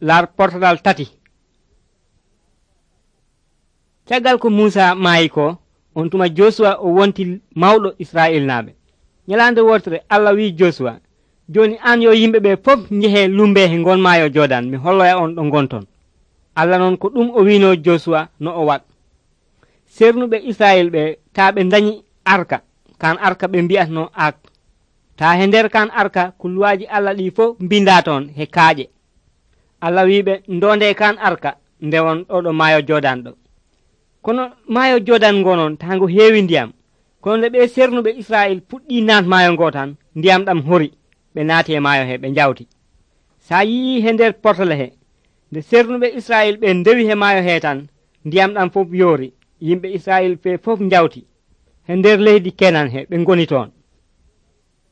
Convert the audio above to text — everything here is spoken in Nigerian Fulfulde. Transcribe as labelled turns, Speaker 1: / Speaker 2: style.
Speaker 1: lar portalal tati. Caggal ko Musa maayi ko on tuma Josua o wonti mawɗo Israel naaɓe. Nyalande wortere Allah wi Josua, joni an yo yimɓe ɓe fof njehe lumbe he ngon maayo Jordan mi holloya on ɗo gonton. Allah noon ko ɗum o wino Josua no o wat. Sernuɓe Israel ɓe taa ɓe dañi arka, kan arka ɓe mbi'atno ak. taa he nder kan arka kulluwaji Allah ɗi fof mbinda toon he kaaƴe. Allah wiɓe ndonde kan arka ndewon ɗo maayo Jordan ɗo. Kono maayo Jordan ngonon taa ngo heewi ndiyam. Kono nde ɓe sernuɓe Israel puɗɗi naat maayo ngo tan ndiyam ɗam hori ɓe naati e maayo he ɓe njawti. Sa yii he nder portale he nde sernuɓe Israel ɓe ndewi he maayo he tan ndiyam ɗam fof yoori yimɓe Israel ɓe fof njawti he nder leydi Kenan he ɓe ngoni toon.